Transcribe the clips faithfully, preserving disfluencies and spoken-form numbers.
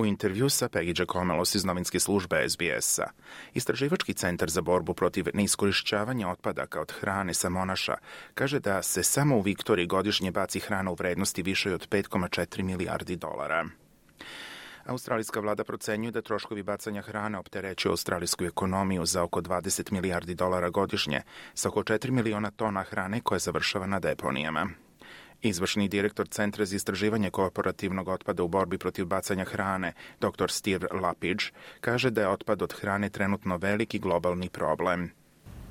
U intervju sa Peggy Giacomelos iz novinske službe S B S-a, Istraživački centar za borbu protiv neiskorišćavanja otpadaka od hrane sa Monaša kaže da se samo u Viktoriji godišnje baci hrana u vrednosti više od pet zarez četiri milijardi dolara. Australijska vlada procenjuje da troškovi bacanja hrane opterećuju australijsku ekonomiju za oko dvadeset milijardi dolara godišnje, sa oko četiri miliona tona hrane koja završava na deponijama. Izvršni direktor Centra za istraživanje korporativnog otpada u borbi protiv bacanja hrane, doktor Steve Lapidge, kaže da je otpad od hrane trenutno veliki globalni problem.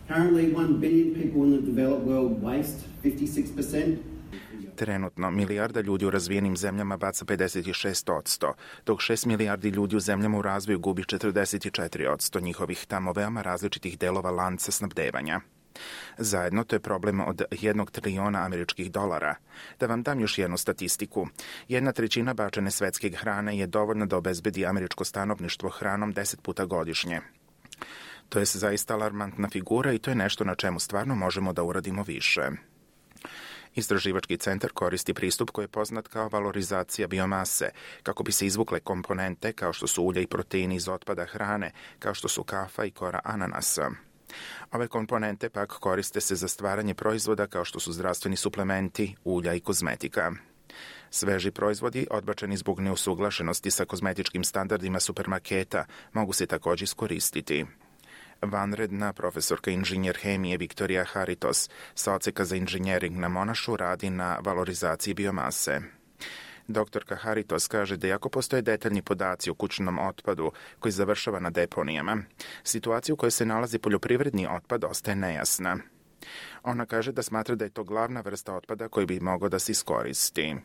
Currently, one billion people in the developed world waste fifty-six percent. Trenutno, milijarda ljudi u razvijenim zemljama baca pedeset šest posto, dok šest milijardi ljudi u zemljama u razvoju gubi četrdeset četiri posto njihovih tamo veoma različitih delova lanca snabdevanja. Zajedno to je problem od jednog trilijona američkih dolara. Da vam dam još jednu statistiku. Jedna trećina bačene svetske hrane je dovoljna da obezbedi američko stanovništvo hranom deset puta godišnje. To je zaista alarmantna figura i to je nešto na čemu stvarno možemo da uradimo više. Istraživački centar koristi pristup koji je poznat kao valorizacija biomase, kako bi se izvukle komponente kao što su ulja i proteini iz otpada hrane, kao što su kafa i kora ananasa. Ove komponente pak koriste se za stvaranje proizvoda kao što su zdravstveni suplementi, ulja i kozmetika. Sveži proizvodi, odbačeni zbog neusuglašenosti sa kozmetičkim standardima supermarketa, mogu se također iskoristiti. Vanredna profesorka inženjer hemije Viktorija Haritos sa odseka za inženjering na Monašu radi na valorizaciji biomase. Doktorka Haritos kaže da iako postoje detaljni podaci o kućnom otpadu koji završava na deponijama, situacija u kojoj se nalazi poljoprivredni otpad ostaje nejasna. Ona kaže da smatra da je to glavna vrsta otpada koji bi mogao da se iskoristi.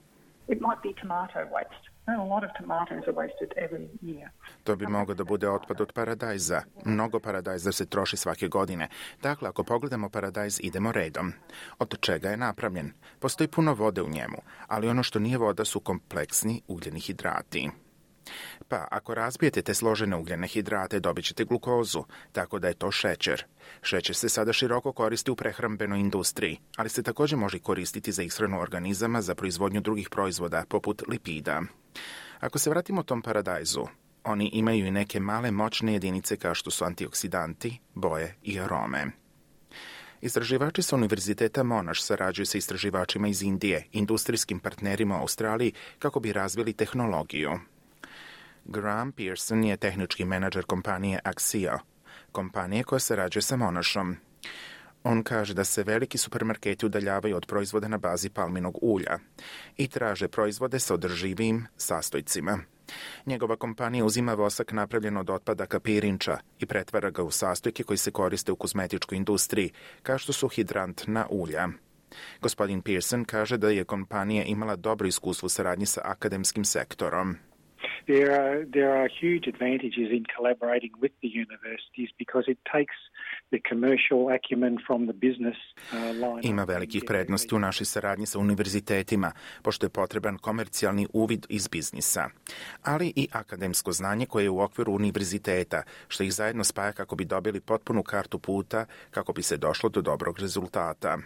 It might be tomato waste. A lot of tomatoes are wasted every year. To bi mogao da bude otpad od paradajza. Mnogo paradajza se troši svake godine. Dakle, ako pogledamo paradajz, idemo redom. Od čega je napravljen? Postoji puno vode u njemu, ali ono što nije voda su kompleksni ugljeni hidrati. Pa, ako razbijete te složene ugljene hidrate, dobit ćete glukozu, tako da je to šećer. Šećer se sada široko koristi u prehrambenoj industriji, ali se također može koristiti za ishranu organizama za proizvodnju drugih proizvoda, poput lipida. Ako se vratimo tom paradajzu, oni imaju i neke male moćne jedinice kao što su antioksidanti, boje i arome. Istraživači sa Univerziteta Monash sarađuju sa istraživačima iz Indije, industrijskim partnerima u Australiji, kako bi razvili tehnologiju. Graham Pearson je tehnički menadžer kompanije Axio, kompanije koja sarađuje sa Monashom. On kaže da se veliki supermarketi udaljavaju od proizvoda na bazi palminog ulja i traže proizvode sa održivijim sastojcima. Njegova kompanija uzima vosak napravljen od otpadaka pirinča i pretvara ga u sastojke koji se koriste u kozmetičkoj industriji, kao što su hidrantna ulja. Gospodin Pearson kaže da je kompanija imala dobro iskustvo u saradnji sa akademskim sektorom. There are, there are huge advantages in collaborating with the universities because it takes the commercial acumen from the business uh, line. Ima velikih prednosti u našoj saradnji sa univerzitetima, pošto je potreban komercijalni uvid iz biznisa, ali i akademsko znanje koje je u okviru univerziteta, što ih zajedno spaja kako bi dobili potpunu kartu puta, kako bi se došlo do dobrog rezultata.